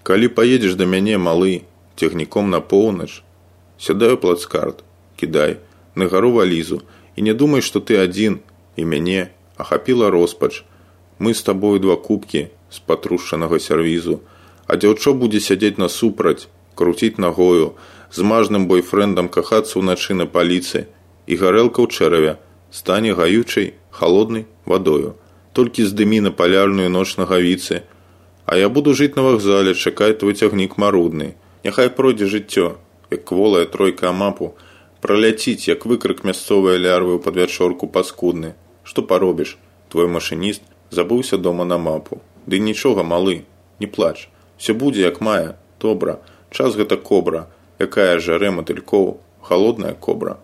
Калі паедзеш да мяне, малы, цягніком на поўнач, сядай у плацкарт, кідай, на гару валізу, і не думай, што ты адзін, і мяне ахапіла роспач. Мы з табою 2 кубкі з патрушчанага сервізу, а дзяўчо будзе сядзець насупраць, круціць нагою, з мажным бойфрэндам кахацца ўначы на паліцы, і гарэлка ў чэраве стане гаючай, халоднай вадою. Толькі здымі на палярную ноч нагавіцы, а я буду жыць на вакзале, чакаць твой цягнік марудны. Няхай пройдзе жыццё, як кволая тройка амапу, праляціць, як выкрык мясцовай лярвы ў падвячорку паскудны. Што паробіш? Твой машыніст забыўся дома на мапу. Ды нічога, малы, не плач. Всё будзе як мае, добра. Час гэта кобра, якая жарэ матылькоў, халодная кобра.